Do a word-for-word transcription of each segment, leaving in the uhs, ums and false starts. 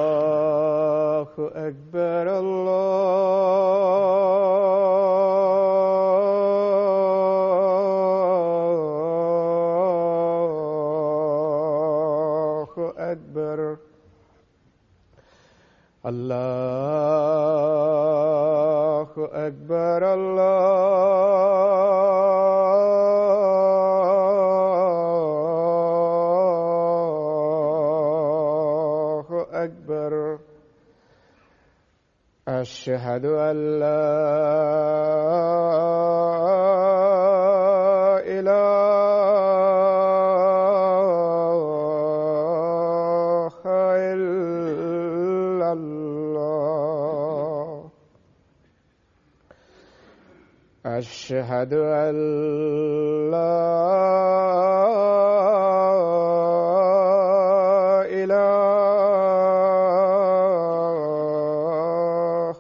الله أكبر الله أكبر الله أكبر الله أكبر أشهد أن لا إله إلا الله أشهد أن لا إله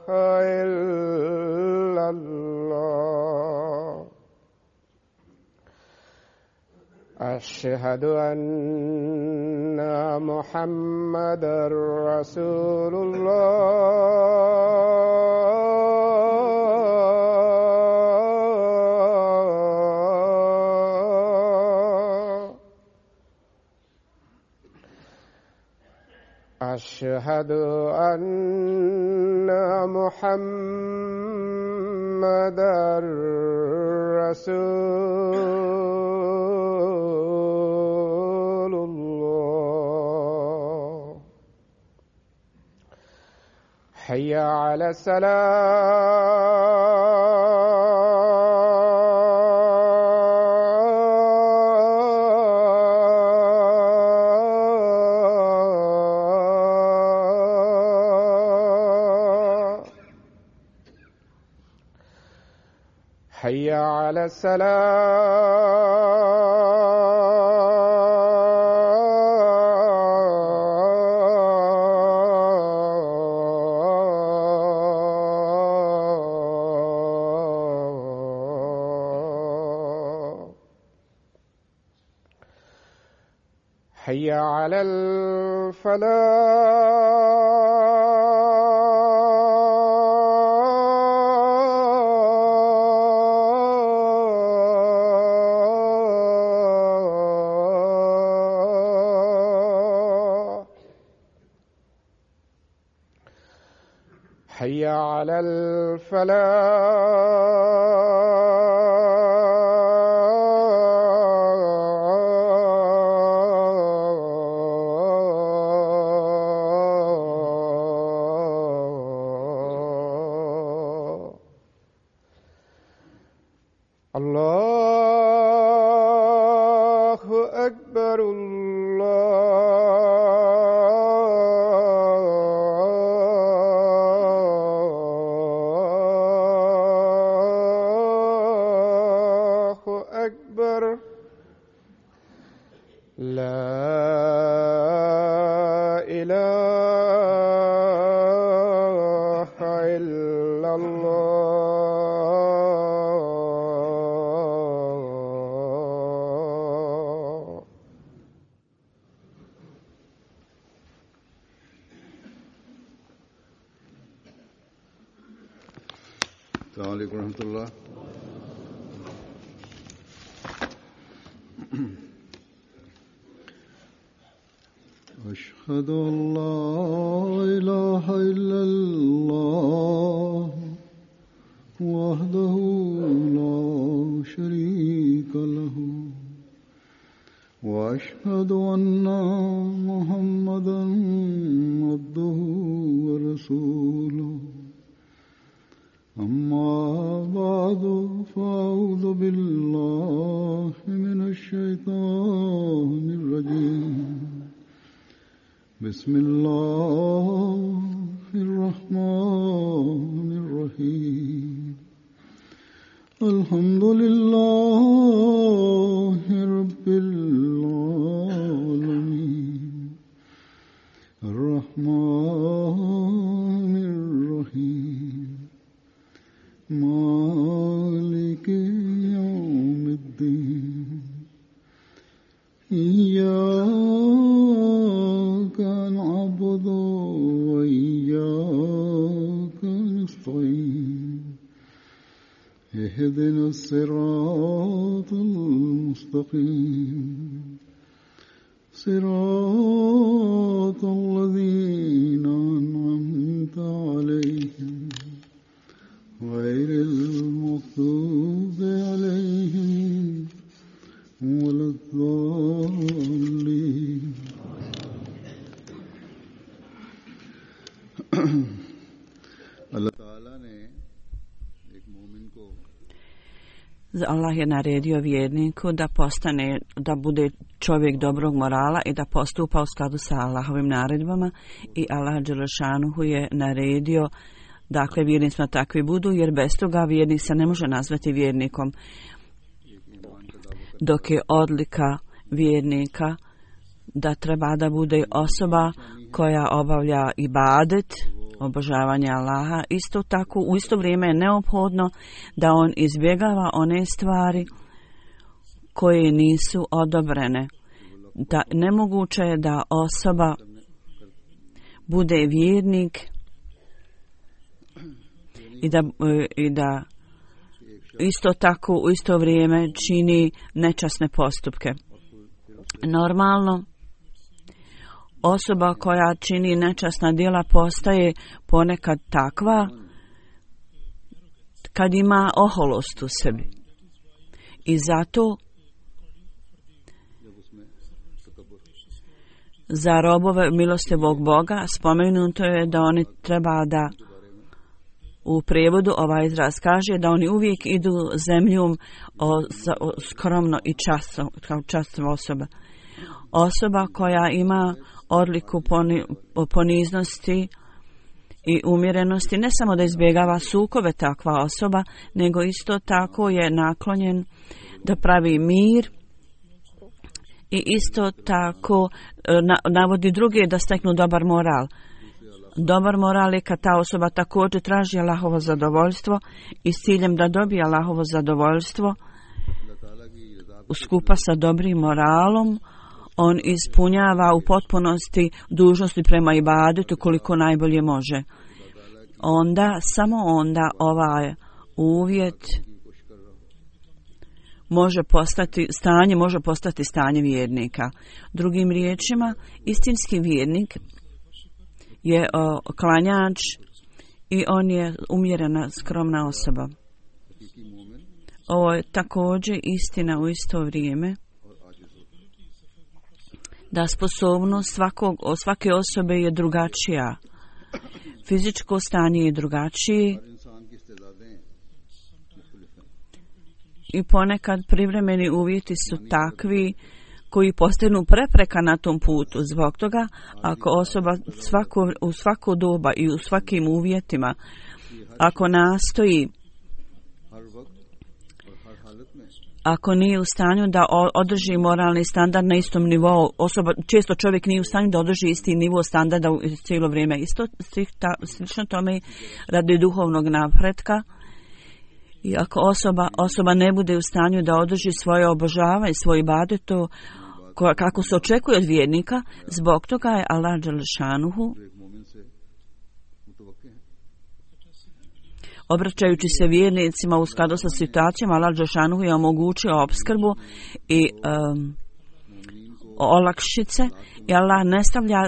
إلا الله أشهد أن محمدا رسول الله أشهد أن محمدا رسول الله حي على الصلاة حي على السلام حي على الفلاح حي على الفلاح الله أكبر الله أكبر لا إله إلا الله السلام عليكم ورحمة الله. أشهد أن لا إله إلا الله وحده لا شريك له وأشهد أن محمدا عبده ورسوله أما بعد فأعوذ بالله من الشيطان الرجيم بسم الله الرحمن الرحيم الحمد لله رب العالمين الرحمن الرحيم مالك يوم الدين إياك اهدنا الصراط المستقيم صراط الذين أنعمت عليهم غير المغضوب عليهم ولا الضالين. Allah Ta'ala ne ek mu'min ko Allah je naredio vjerniku da postane, da bude čovjek dobrog morala i da postupa u skladu sa Allahovim naredbama, i Allah dželešanuhu je naredio, dakle, vjernicima takvi budu, jer bez toga vjernik se ne može nazvati vjernikom. Dok je odlika vjernika da treba da bude osoba koja obavlja ibadet, obožavanje Allaha, isto tako u isto vrijeme je neophodno da on izbjegava one stvari koje nisu odobrene. Da nemoguće je da osoba bude vjernik i da, i da isto tako u isto vrijeme čini nečasne postupke. Normalno, osoba koja čini nečasna djela postaje ponekad takva kad ima oholost u sebi. I zato za robove milostivog Boga spomenuto je da oni treba da, u prijevodu ovaj izraz kaže, da oni uvijek idu zemljom o, o, skromno i časno, kao časna osoba. Osoba koja ima odliku poni, poniznosti i umjerenosti, ne samo da izbjegava sukobe takva osoba, nego isto tako je naklonjen da pravi mir i isto tako na, navodi druge da steknu dobar moral. Dobar moral je kad ta osoba također traži Allahovo zadovoljstvo i s ciljem da dobije Allahovo zadovoljstvo skupa sa dobrim moralom, on ispunjava u potpunosti dužnosti prema ibadetu koliko najbolje može. Onda, samo onda ovaj uvjet može postati stanje, može postati stanje vjernika. Drugim riječima, istinski vjernik je o, klanjač i on je umjerena, skromna osoba. Ovo je također istina u isto vrijeme da sposobnost svakog, svake osobe je drugačija. Fizičko stanje je drugačije i ponekad privremeni uvjeti su takvi koji postanu prepreka na tom putu. Zbog toga, ako osoba svako, u svako doba i u svakim uvjetima, ako nastoji, ako nije u stanju da održi moralni standard na istom nivou, osoba, često čovjek nije u stanju da održi isti nivo standarda u cijelo vrijeme. Isto slično tome radi duhovnog napretka. I ako osoba, osoba ne bude u stanju da održi svoje obožavanje, svoj ibadet, to kako se očekuje od vjernika, zbog toga je Allah dželešanuhu, obraćajući se vjernicima u skladu sa situacijama, Allah dželešanuhu je omogućio opskrbu i um, olakšice, i Allah ne stavlja,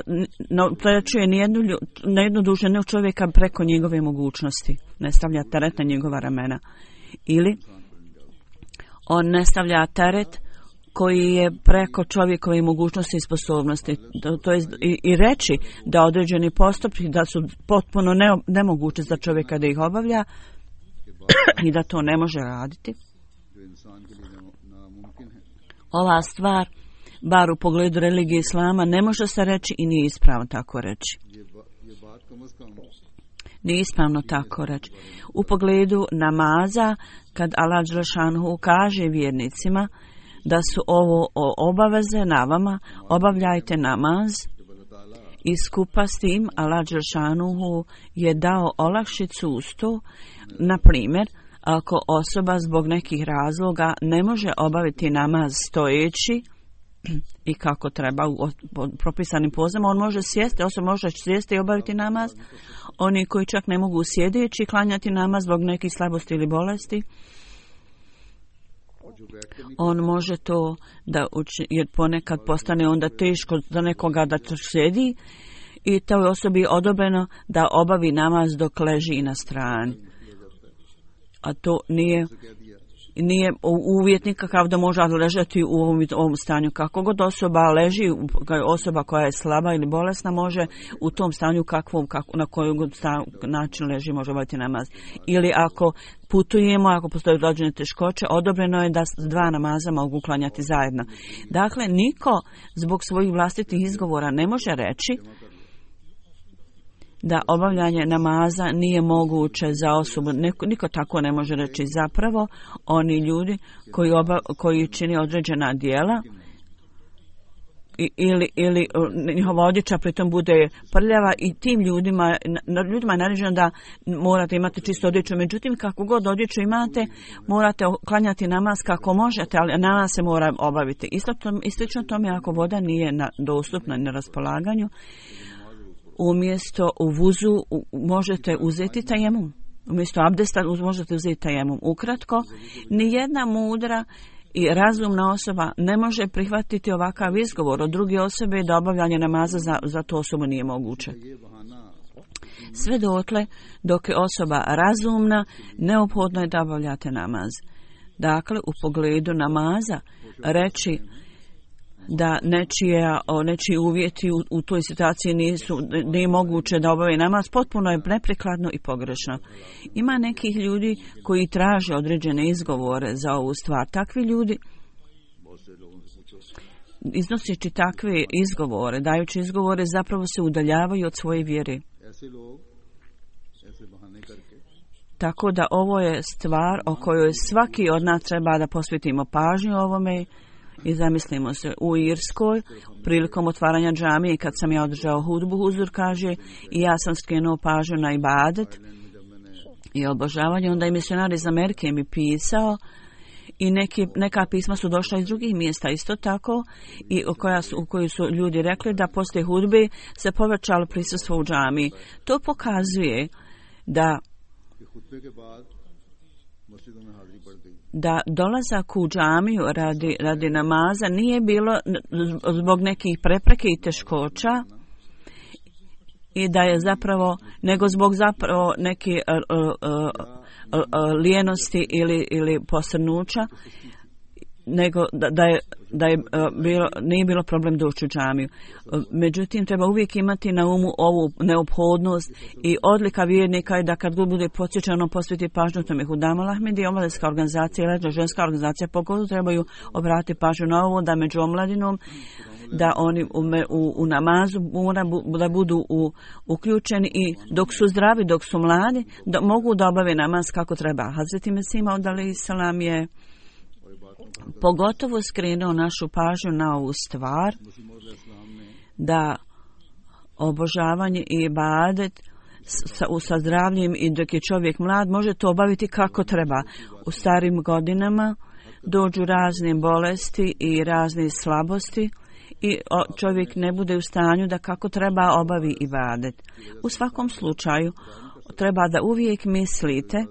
ne opterećuje nijednu, nijednu dušu jednog čovjeka preko njegove mogućnosti, ne stavlja teret na njegova ramena, ili on ne stavlja teret koji je preko čovjekove mogućnosti i sposobnosti. To, to je i, i reći da određeni postupci da su potpuno ne, nemoguće za čovjeka da ih obavlja i da to ne može raditi. Ova stvar, bar u pogledu religije islama, ne može se reći i nije ispravno tako reći. Nije ispravno tako reći. U pogledu namaza, kad Allah dželešanuhu kaže vjernicima da su ovo obaveze na vama, obavljajte namaz, i skupa s tim Allah dželešanuhu je dao olakšicu uz to. Na primjer, ako osoba zbog nekih razloga ne može obaviti namaz stojeći i kako treba u propisanim pozama, on može sjesti, osoba može sjesti i obaviti namaz. Oni koji čak ne mogu sjedeći klanjati namaz zbog nekih slabosti ili bolesti, on može to da uči, jer ponekad postane onda teško za nekoga da sjedi i toj osobi odobreno da obavi namaz dok leži na strani. A to nije nije uvjet nikakav da može ležati u ovom, ovom stanju. Kako god osoba leži, osoba koja je slaba ili bolesna može u tom stanju kakvom, kako, na koji god sta, način leži može obaviti namaz. Ili ako putujemo, ako postoje određene teškoće, odobreno je da dva namaza mogu klanjati zajedno. Dakle, niko zbog svojih vlastitih izgovora ne može reći da obavljanje namaza nije moguće za osobu. Niko, niko tako ne može reći. Zapravo, oni ljudi koji, oba, koji čini određena djela i, ili, ili njihova odjeća pritom bude prljava i tim ljudima, ljudima je naređeno da morate imati čistu odjeću. Međutim, kako god odjeću imate, morate klanjati namaz kako možete, ali namaz se mora obaviti. Isto to, istično tome ako voda nije na, dostupna na raspolaganju, umjesto u vuzu možete uzeti tajemum. Umjesto abdesta možete uzeti tajemum. Ukratko, nijedna mudra i razumna osoba ne može prihvatiti ovakav izgovor od druge osobe da obavljanje namaza za, za tu osobu nije moguće. Sve dotle, dok je osoba razumna, neophodno je da obavljate namaz. Dakle, u pogledu namaza reći da nečije, nečiji uvjeti u, u toj situaciji nisu, nije moguće da obave namaz, potpuno je neprikladno i pogrešno. Ima nekih ljudi koji traže određene izgovore za ovu stvar. Takvi ljudi, iznoseći takve izgovore, dajući izgovore, zapravo se udaljavaju od svoje vjere. Tako da ovo je stvar o kojoj svaki od nas treba da posvetimo pažnju ovome. I zamislimo se, u Irskoj, prilikom otvaranja džamije, kad sam ja održao hudbu, huzur kaže, i ja sam skrenuo pažnju na ibadet i obožavanje, onda i misionar iz Amerike mi pisao i neki, neka pisma su došla iz drugih mjesta isto tako, i u, koja su, u koji su ljudi rekli da poslije hudbe se povećalo prisustvo u džamiji. To pokazuje da da dolazak u džamiju radi, radi namaza nije bilo zbog nekih prepreke i teškoća i da je zapravo, nego zbog zapravo neke uh, uh, uh, uh, lijenosti ili, ili posrnuća, nego da, da je, da je uh, bilo, nije bilo problem doći u džamiju. Uh, međutim, treba uvijek imati na umu ovu neophodnost i odlika vjernika je da kad god bude podsjećano posveti pažnju tome. Hudama Ahmedi, omladinska organizacija ili ženska organizacija pogotovo trebaju obratiti pažnju na ovo, da među omladinom da oni u, u, u namazu mora bu, da budu u, uključeni i dok su zdravi, dok su mladi, da mogu da obave namaz kako treba. Hazreti Mesih Maud alejhi selam je pogotovo skrenuo našu pažnju na ovu stvar, da obožavanje i ibadet sa, sa zdravljem i dok je čovjek mlad može to obaviti kako treba. U starim godinama dođu razne bolesti i razne slabosti i čovjek ne bude u stanju da kako treba obavi ibadet. U svakom slučaju treba da uvijek mislite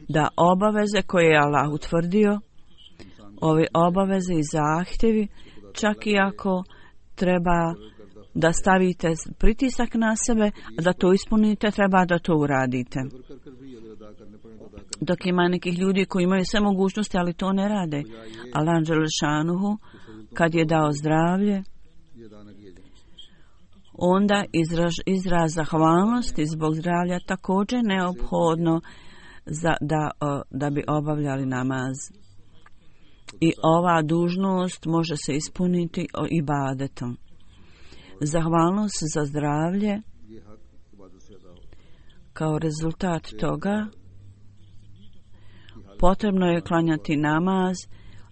da obaveze koje je Allah utvrdio, ove obaveze i zahtjevi, čak i ako treba da stavite pritisak na sebe, da to ispunite, treba da to uradite. Dok ima nekih ljudi koji imaju sve mogućnosti, ali to ne rade. Allah dželle šanuhu, kad je dao zdravlje, onda izraz, izraz zahvalnosti zbog zdravlja također neophodno za, da, da bi obavljali namaz. I ova dužnost može se ispuniti ibadetom. Zahvalnost za zdravlje, kao rezultat toga, potrebno je klanjati namaz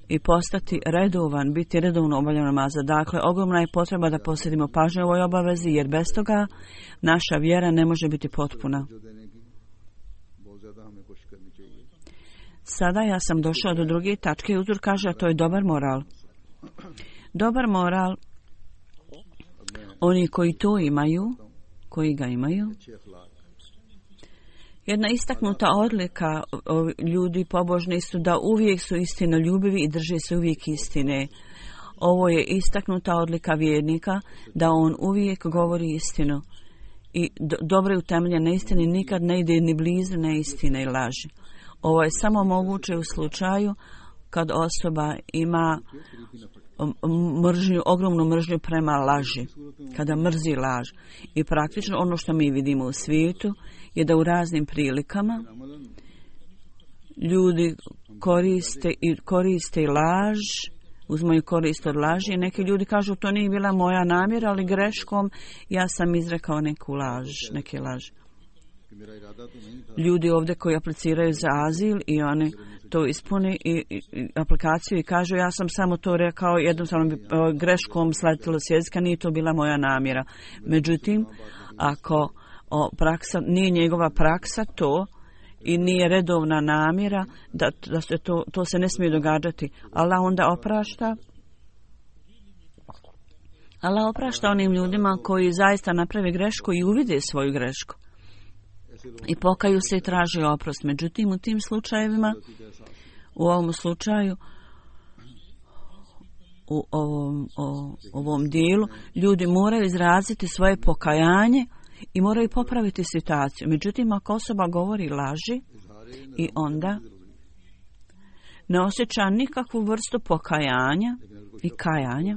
i postati redovan, biti redovno obavljan namaza. Dakle, ogromna je potreba da posvetimo pažnju ovoj obavezi, jer bez toga naša vjera ne može biti potpuna. Sada ja sam došao do druge tačke. Uzor kaže, a to je dobar moral. Dobar moral, oni koji to imaju, koji ga imaju, Jedna istaknuta odlika ljudi pobožni su da uvijek su istinoljubivi i drže se uvijek istine. Ovo je istaknuta odlika vjernika, da on uvijek govori istinu. I do, dobro utemeljene istine nikad ne ide ni blizu neistine i laži. Ovo je samo moguće u slučaju kad osoba ima mržnju, ogromnu mržnju prema laži, kada mrzi laž. I praktično ono što mi vidimo u svijetu je da u raznim prilikama ljudi koriste i koriste laž, uzmaju korist od laži. Neki ljudi kažu to nije bila moja namjera, ali greškom ja sam izrekao neku laž, neke laži. Ljudi ovdje koji apliciraju za azil i oni to ispuni i, i, i aplikaciju i kažu ja sam samo to rekao, jednostavno bi greškom sletilo s jezika, nije to bila moja namjera. Međutim, ako o, praksa, nije njegova praksa to i nije redovna namjera, da, da se to, to se ne smije događati. Allah onda oprašta. Allah oprašta onim ljudima koji zaista naprave grešku i uvide svoju grešku. I pokaju se i traži oprost. Međutim, u tim slučajevima, u ovom slučaju, u ovom, o, ovom dijelu, ljudi moraju izraziti svoje pokajanje i moraju popraviti situaciju. Međutim, ako osoba govori laži i onda ne osjeća nikakvu vrstu pokajanja i kajanja,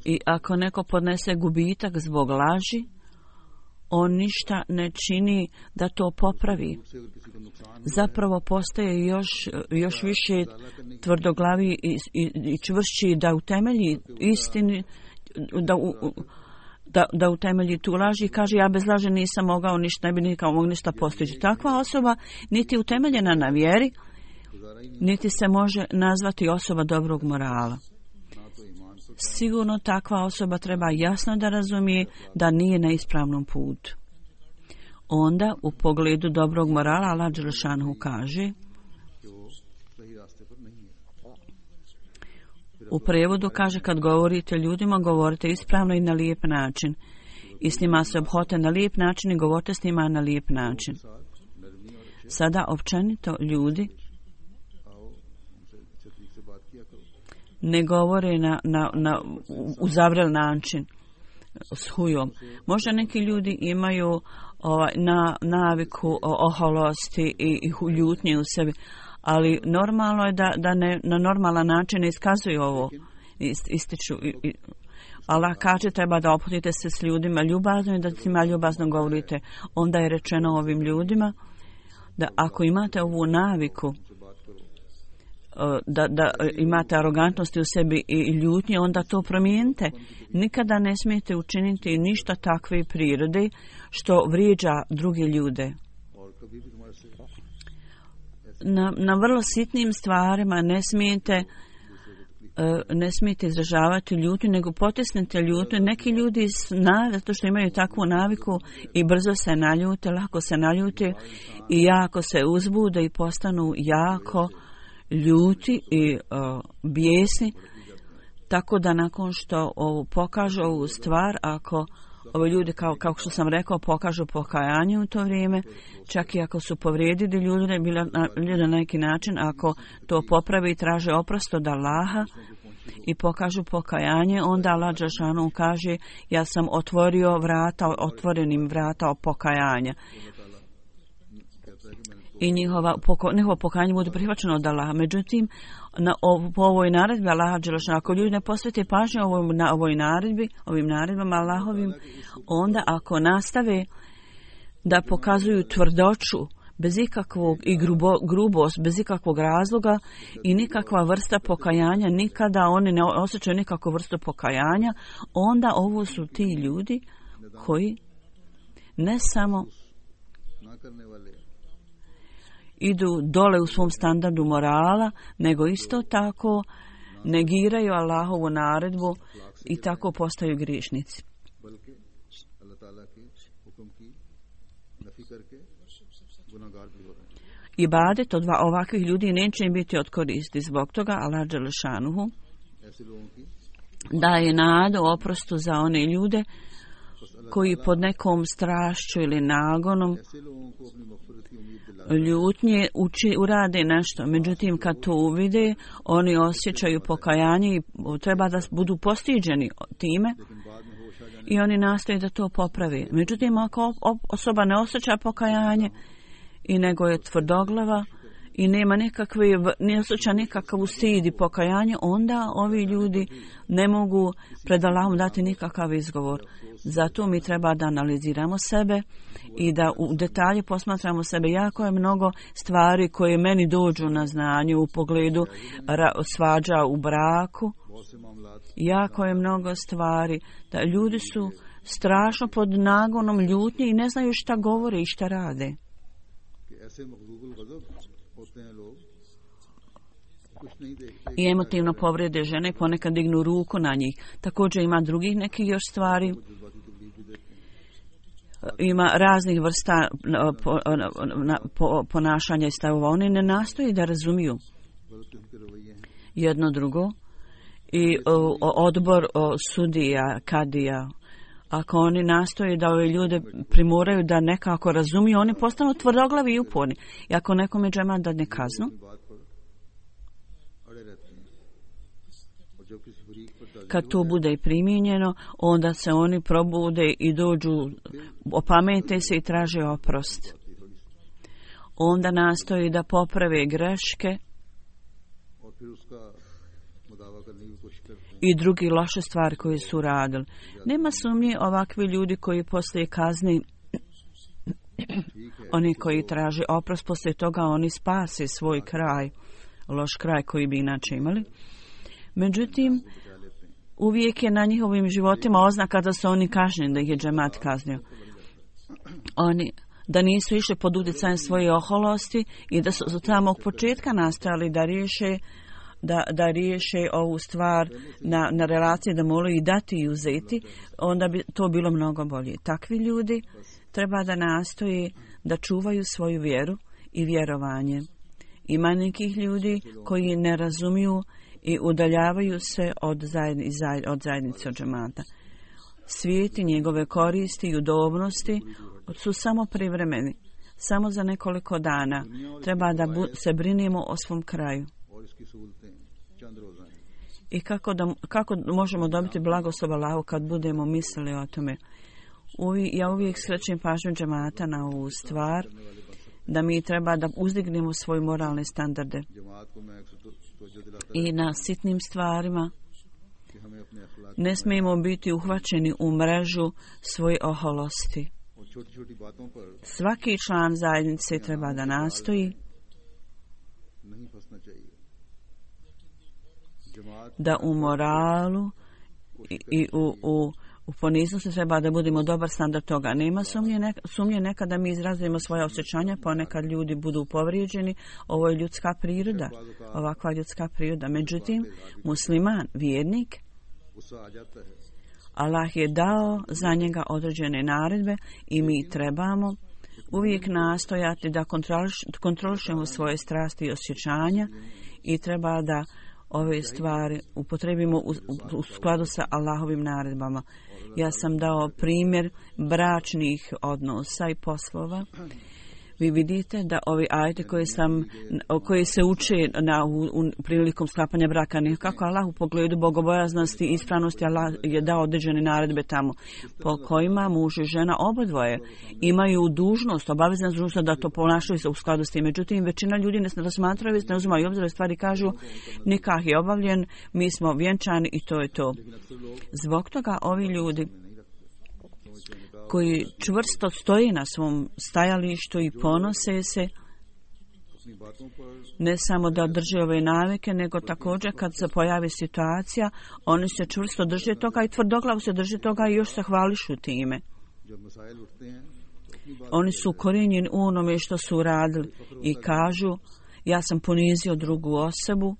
i ako neko podnese gubitak zbog laži, on ništa ne čini da to popravi. Zapravo postaje još, još više tvrdoglavi i, i, i čvršći da utemelji istini, da, u, da, da utemelji tu laži i kaže ja bez laži nisam mogao ništa, ne bi nikao mogao ništa postići. Takva osoba niti utemeljena na vjeri, niti se može nazvati osoba dobrog morala. Sigurno takva osoba treba jasno da razumije da nije na ispravnom putu. Onda u pogledu dobrog morala Allah dželešanu kaže, u prevodu kaže kad govorite ljudima, govorite ispravno i na lijep način. I s njima se obhodite na lijep način i govorite s njima na lijep način. Sada općenito ljudi ne govore na, na, na uzavrel način s hujom. Možda neki ljudi imaju ovaj, na, naviku oholosti i, i ljutnje u sebi, ali normalno je da, da ne, na normalan način ne iskazuju ovo, ističu. I, i, Allah kaže treba da ophodite se s ljudima ljubazno i da tima ljubazno govorite. Onda je rečeno ovim ljudima da ako imate ovu naviku Da, da imate arogantnosti u sebi i ljutnje, onda to promijenite. Nikada ne smijete učiniti ništa takve prirode što vrijeđa druge ljude. Na, na vrlo sitnim stvarima ne smijete ne smijete izražavati ljutnju, nego potisnite ljutnju. Neki ljudi zna, zato što imaju takvu naviku i brzo se naljute, lako se naljute i jako se uzbude i postanu jako ljuti i uh, bijesni, tako da nakon što ovu pokažu ovu stvar, ako ovi ljudi, kao, kao što sam rekao, pokažu pokajanje u to vrijeme, čak i ako su povrijedili ljude, bilo na, na neki način, ako to popravi i traže oprost od Allaha i pokažu pokajanje, onda Allah dželešanu kaže ja sam otvorio vrata, otvorenim vrata pokajanja. I njihova, poko, njihovo pokajanje bude prihvaćeno od Allaha. Međutim, na, o, po ovoj naredbi Allaha dželešanu, ako ljudi ne posvete pažnju ovoj, na ovoj naredbi, ovim naredbama Allahovim, onda ako nastave da pokazuju tvrdoću, bez ikakvog i grubo, grubost, bez ikakvog razloga i nikakva vrsta pokajanja, nikada oni ne osjećaju nikakvu vrstu pokajanja, onda ovo su ti ljudi koji ne samo idu dole u svom standardu morala, nego isto tako negiraju Allahovu naredbu i tako postaju griješnici. Ibadet od ovakvih ljudi neće im biti od koristi. Zbog toga Allah dželešanuhu daje nadu oprostu za one ljude koji pod nekom strašću ili nagonom ljutnje uči, urade nešto. Međutim, kad to uvide, oni osjećaju pokajanje i treba da budu postiđeni time i oni nastoje da to popravi. Međutim, ako osoba ne osjeća pokajanje i nego je tvrdoglava i nema nekakve, ne osjeća nikakav stid i pokajanje, onda ovi ljudi ne mogu pred Allahom dati nikakav izgovor. Zato mi treba da analiziramo sebe i da u detalje posmatramo sebe. Jako je mnogo stvari koje meni dođu na znanje u pogledu svađa u braku. Jako je mnogo stvari da ljudi su strašno pod nagonom ljutnje i ne znaju šta govore i šta rade. I emotivno povrede žene, ponekad dignu ruku na njih. Također ima drugih nekih još stvari. Ima raznih vrsta ponašanja i stavova. Oni ne nastoji da razumiju jedno drugo. I odbor sudija, kadija, ako oni nastoje da ove ljude primoraju da nekako razumiju, oni postanu tvrdoglavi i uporni. I ako nekome džemat dadne kaznu, kad to bude i primijenjeno, onda se oni probude i dođu, opamete se i traže oprost. Onda nastoji da poprave greške i drugi loše stvari koje su radili. Nema sumnje ovakvi ljudi koji poslije kazni, oni koji traže oprost, poslije toga oni spase svoj kraj, loš kraj koji bi inače imali. Međutim, uvijek je na njihovim životima oznaka da su oni kažnjeni, da ih je džemat kaznio. Oni da nisu išli pod utjecajem svoje oholosti i da su od samog početka nastojali da riješe Da, da riješe ovu stvar na, na relaciji, da moraju i dati i uzeti, onda bi to bilo mnogo bolje. Takvi ljudi treba da nastoje da čuvaju svoju vjeru i vjerovanje. Ima nekih ljudi koji ne razumiju i udaljavaju se od, zajedni, od zajednice, od džemata. Svijet i njegove koristi i udobnosti su samo privremeni. Samo za nekoliko dana treba da bu, se brinemo o svom kraju. I kako, da, kako možemo dobiti blagoslov Allahu kad budemo mislili o tome. Uvi, ja uvijek skrećem pažnju džemata na ovu stvar, da mi treba da uzdignemo svoje moralne standarde i na sitnim stvarima. Ne smijemo biti uhvaćeni u mrežu svoje oholosti. Svaki član zajednice treba da nastoji da u moralu i, i u, u, u poniznosti treba da budemo dobar standard toga. Nema sumnje, neka, sumnje nekada mi izrazimo svoje osjećanja, ponekad ljudi budu povrijeđeni. Ovo je ljudska priroda, ovakva ljudska priroda. Međutim, musliman, vjernik, Allah je dao za njega određene naredbe i mi trebamo uvijek nastojati da kontroliš, kontrolišemo svoje strasti i osjećanja i treba da ove stvari upotrebimo u, u, u skladu sa Allahovim naredbama. Ja sam dao primjer bračnih odnosa i poslova. Vi vidite da ovi ajeti koje sam, koji se uče na, u, u prilikom sklapanja braka, nekako Allah u pogledu bogobojaznosti i ispravnosti, Allah je dao određene naredbe tamo, po kojima muž i žena obodvoje imaju dužnost, obavezna dužnost da to ponašaju se u skladu s tim. Međutim, većina ljudi ne razmatraju, ne uzimaju obzir, stvari kažu nikah je obavljen, mi smo vjenčani i to je to. Zbog toga ovi ljudi koji čvrsto stoji na svom stajalištu i ponose se, ne samo da drže ove navike, nego također kad se pojavi situacija, oni se čvrsto drže toga i tvrdoglavo se drže toga i još se hvališu time. Oni su ukorijenjeni u onome što su radili i kažu, ja sam ponizio drugu osobu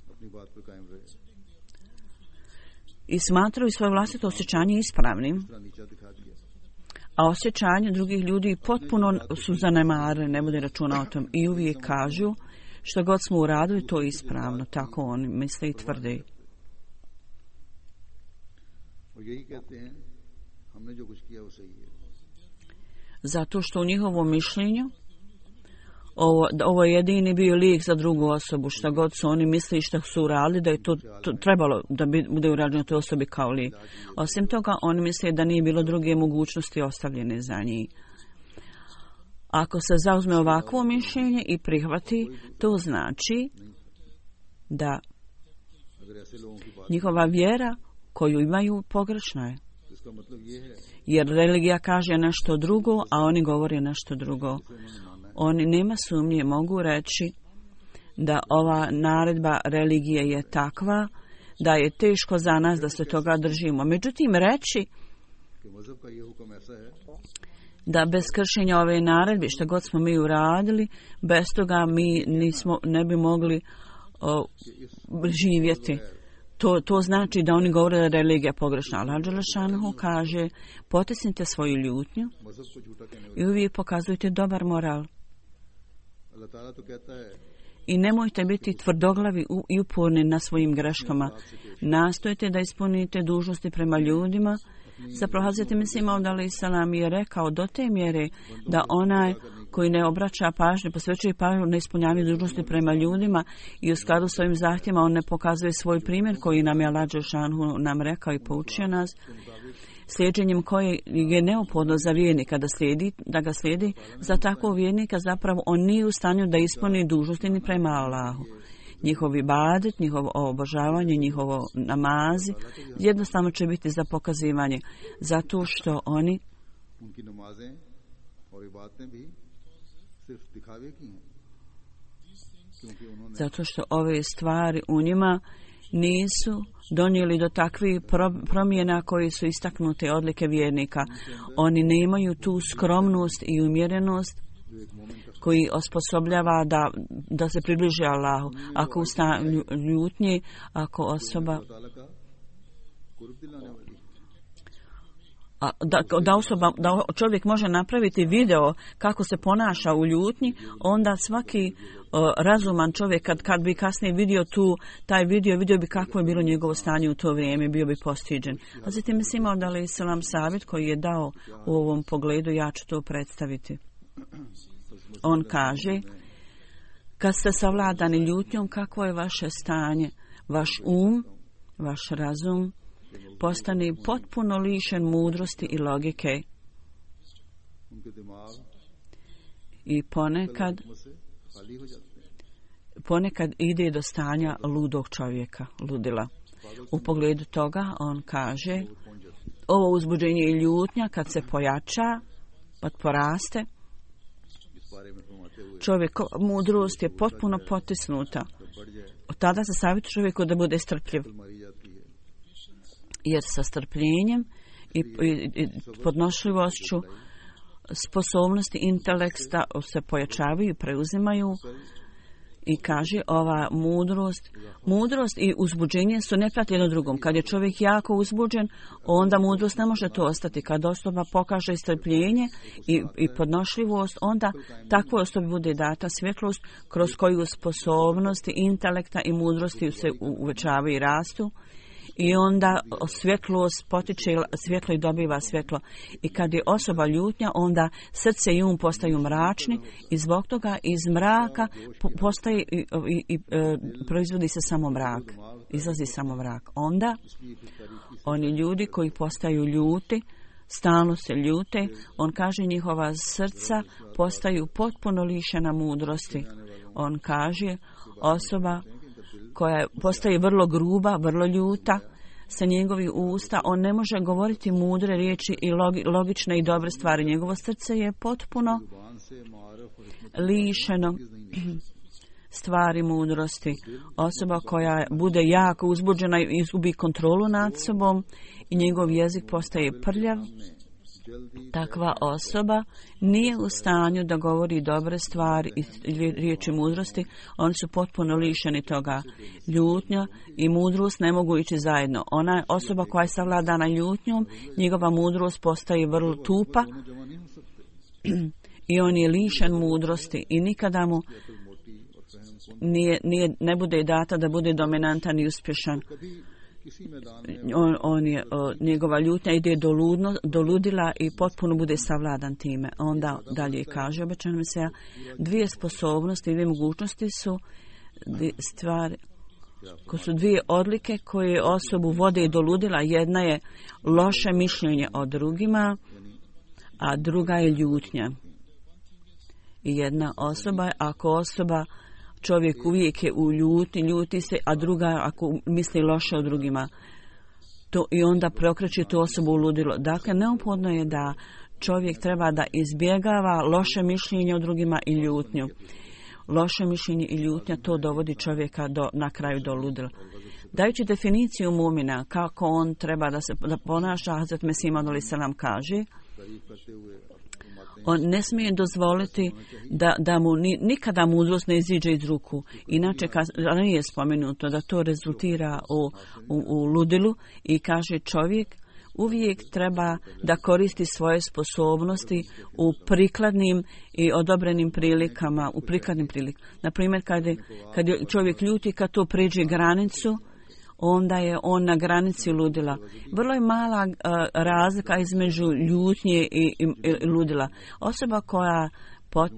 i smatraju svoje vlastito osjećanje ispravnim. A osjećanje drugih ljudi potpuno su zanemarili, ne bude računa o tom. I uvijek kažu, što god smo uradili, to je ispravno. Tako oni misle i tvrde. हमने जो कुछ किया वो सही है। Zato što u njihovom mišljenju ovo, ovo je jedini bio lijek za drugu osobu, šta god su oni misli šta su uradili, da je to, to trebalo da bi, bude urađeno toj osobi kao lijek. Osim toga, oni misle da nije bilo druge mogućnosti ostavljene za njih. Ako se zauzme ovakvo mišljenje i prihvati, to znači da njihova vjera koju imaju pogrešna je. Jer religija kaže nešto drugo, a oni govore nešto drugo. Oni, nema sumnje, mogu reći da ova naredba religije je takva da je teško za nas da se toga držimo. Međutim, reći da bez kršenja ove naredbe, što god smo mi uradili, bez toga mi nismo, ne bi mogli o, živjeti. To, to znači da oni govore da je religija pogrešna. Allah Đelešanohu kaže, potisnite svoju ljutnju i uvijek pokazujte dobar moral. I nemojte biti tvrdoglavi i uporni na svojim greškama. Nastojte da ispunite dužnosti prema ljudima. Zapravo Hazreti Mesih Maud alejhi selam je rekao do te mjere da onaj koji ne obraća pažnju, posvećuje pažnju na ispunjavanje dužnosti prema ljudima i u skladu s ovim zahtjevima on ne pokazuje svoj primjer koji nam je Allah Đelešanohu nam rekao i poučio nas, slijedženjem koje je neophodno za vjernika da, slijedi, da ga slijedi, za takvog vjernika zapravo on nije u stanju da ispuni dužnosti ni prema Allahu. Njihov ibadet, njihovo obožavanje, njihovo namazi jednostavno će biti za pokazivanje, zato što oni zato što ove stvari u njima nisu donijeli do takvih promjena koji su istaknute odlike vjernika. Oni nemaju tu skromnost i umjerenost koji osposobljava da, da se približi Allahu. Ako u stanju ljutnje, ako osoba a, da, da, osoba, da čovjek može napraviti video kako se ponaša u ljutnji, onda svaki o, razuman čovjek kad, kad bi kasnije vidio tu taj video, vidio bi kako je bilo njegovo stanje u to vrijeme, bio bi postiđen. A zatim Mesih Maud alejhi selam savjet koji je dao u ovom pogledu, ja ću to predstaviti. On kaže, kad ste savladani ljutnjom, kakvo je vaše stanje? Vaš um, vaš razum postane potpuno lišen mudrosti i logike. I ponekad, ponekad ide do stanja ludog čovjeka, ludila. U pogledu toga on kaže, ovo uzbuđenje i ljutnja kad se pojača, kad poraste, čovjek, mudrost je potpuno potisnuta. Od tada se savjetuje čovjeku da bude strpljiv. Jer sa strpljenjem i, i, i podnošljivošću sposobnosti intelekta se pojačavaju i preuzimaju. I kaže, ova mudrost, mudrost i uzbuđenje su nepratni jedno drugom. Kad je čovjek jako uzbuđen, onda mudrost ne može to ostati. Kad osoba pokaže strpljenje i, i podnošljivost, onda takvoj osobi bude data svjetlost kroz koju sposobnosti intelekta i mudrosti se uvećavaju i rastu. I onda svjetlost potiče svjetlo i dobiva svjetlo. I kad je osoba ljutnja, onda srce i um postaju mračni i zbog toga iz mraka postaje i, i, i e, proizvodi se samo mrak. Izlazi samo mrak. Onda oni ljudi koji postaju ljuti, stalno se ljute, on kaže njihova srca postaju potpuno lišena mudrosti. On kaže osoba koja postaje vrlo gruba, vrlo ljuta, sa njegovih usta, on ne može govoriti mudre riječi i logi, logične i dobre stvari. Njegovo srce je potpuno lišeno stvari mudrosti. Osoba koja bude jako uzbuđena i izgubi kontrolu nad sobom i njegov jezik postaje prljav, takva osoba nije u stanju da govori dobre stvari i riječi mudrosti. Oni su potpuno lišeni toga. Ljutnja i mudrost ne mogu ići zajedno. Ona osoba koja je savladana ljutnjom, njegova mudrost postaje vrlo tupa i on je lišen mudrosti i nikada mu nije, nije, ne bude data da bude dominantan i uspješan. on, on je, o, njegova ljutnja ide do, ludno, do ludila i potpuno bude savladan time. Onda dalje kaže obećano Mesija, dvije sposobnosti, dvije mogućnosti su stvari, ko su dvije odlike koje osobu vode do ludila. Jedna je loše mišljenje o drugima, a druga je ljutnja. I jedna osoba je, ako osoba, čovjek uvijek je u ljuti, ljuti se, a druga ako misli loše o drugima. To, i onda preokreće tu osobu u ludilo. Dakle, neophodno je da čovjek treba da izbjegava loše mišljenje o drugima i ljutnju. Loše mišljenje i ljutnja, to dovodi čovjeka do, na kraju do ludila. Dajući definiciju mumina, kako on treba da se da ponaša, Hazret Mesih Maud alejhi selam kaže, on ne smije dozvoliti da, da mu ni, nikada mudrost ne iziđe iz ruku. Inače, nije spomenuto da to rezultira u, u, u ludilu i kaže čovjek uvijek treba da koristi svoje sposobnosti u prikladnim i odobrenim prilikama, u prikladnim prilikama. Naprimjer, kad je, kad je čovjek ljuti, kad to pređe granicu, onda je on na granici ludila. Vrlo je mala uh, razlika između ljutnje i, i, i ludila. Osoba koja pot,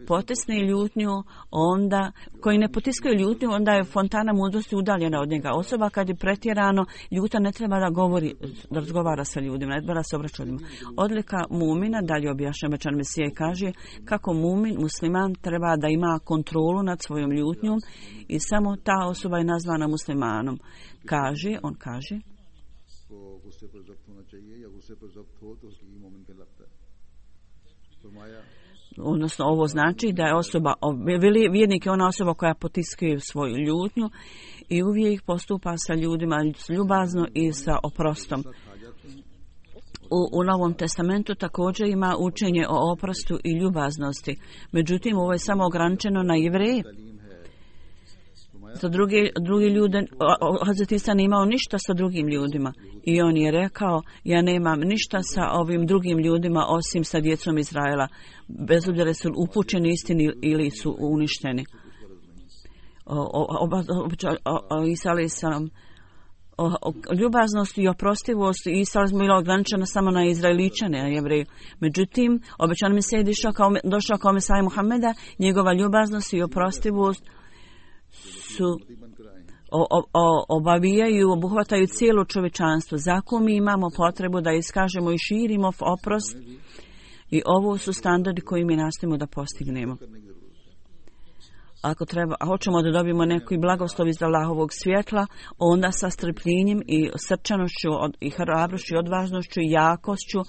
potisne ljutnju, onda, koji ne potiskaju ljutnju, onda je fontana mudrosti udaljena od njega. Osoba kad je pretjerano ljuta ne treba da govori, da razgovara sa ljudima, ne treba da se obraća ljudima. Odlika mumina, dalje objašnjava obećani Mesija i kaže kako mumin, musliman, treba da ima kontrolu nad svojom ljutnjom i samo ta osoba je nazvana muslimanom. Kaže, on kaže, odnosno ovo znači da je osoba, vjernik je ona osoba koja potiskuje svoju ljutnju i uvijek postupa sa ljudima ljubazno i sa oprostom. U, u Novom testamentu također ima učenje o oprostu i ljubaznosti. Međutim, ovo je samo ograničeno na Jevreje. Za drugi, drugi ljude, Hazret Isa nije imao ništa sa drugim ljudima. I on je rekao, ja nemam ništa sa ovim drugim ljudima osim sa djecom Izraela. Bez obzira su upućeni istini ili su uništeni. Isa alejhi selam, ljubaznost i oprostivost Isa alejhi selam bila ograničena samo na Izraeličane, na Jevreje. Međutim, obećani Mesija je došao kao, došao kao Mesija Muhameda, njegova ljubaznost i oprostivost su o, o, obavijaju i obuhvataju cijelo čovječanstvo. Zato mi imamo potrebu da iskažemo i širimo oprost i ovo su standardi koji mi nastojimo da postignemo. Ako treba, a hoćemo da dobijemo neki blagoslov iz Allahovog svjetla, onda sa strpljenjem i srčanošću i hrabrošću i odvažnošću i jakošću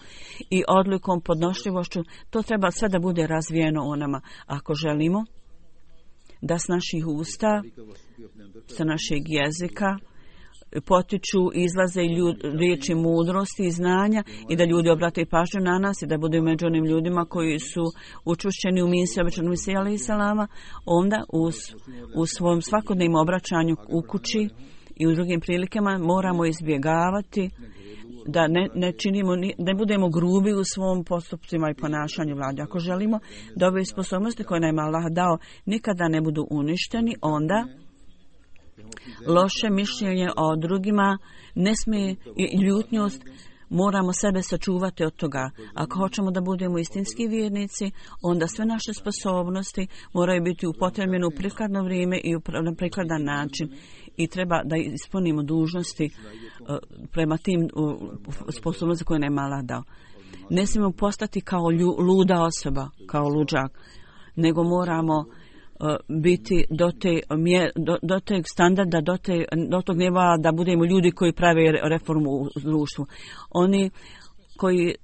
i odlikom podnošljivošću, to treba sve da bude razvijeno u nama. Ako želimo da s naših usta, sa našeg jezika potiču, izlaze ljud, riječi mudrosti i znanja i da ljudi obrate pažnju na nas i da budu među onim ljudima koji su učvršćeni u misiji obećanog Mesija alejhi selama, onda u, u svom svakodnevnom obraćanju u kući i u drugim prilikama moramo izbjegavati da ne, ne činimo, ne budemo grubi u svom postupcima i ponašanju vlade. Ako želimo da ove sposobnosti koje nam Allah dao nikada ne budu uništeni, onda loše mišljenje o drugima ne smije i ljutnjost, moramo sebe sačuvati od toga. Ako hoćemo da budemo istinski vjernici, onda sve naše sposobnosti moraju biti upotrebljene u prikladno vrijeme i na prikladan način. I treba da ispunimo dužnosti uh, prema tim uh, sposobnosti koje nam je Allah dao. Ne smijemo postati kao lju, luda osoba, kao luđak, nego moramo uh, biti do, te, mje, do, do teg standarda, do, te, do tog nivoa da budemo ljudi koji prave reformu u društvu. Oni koji,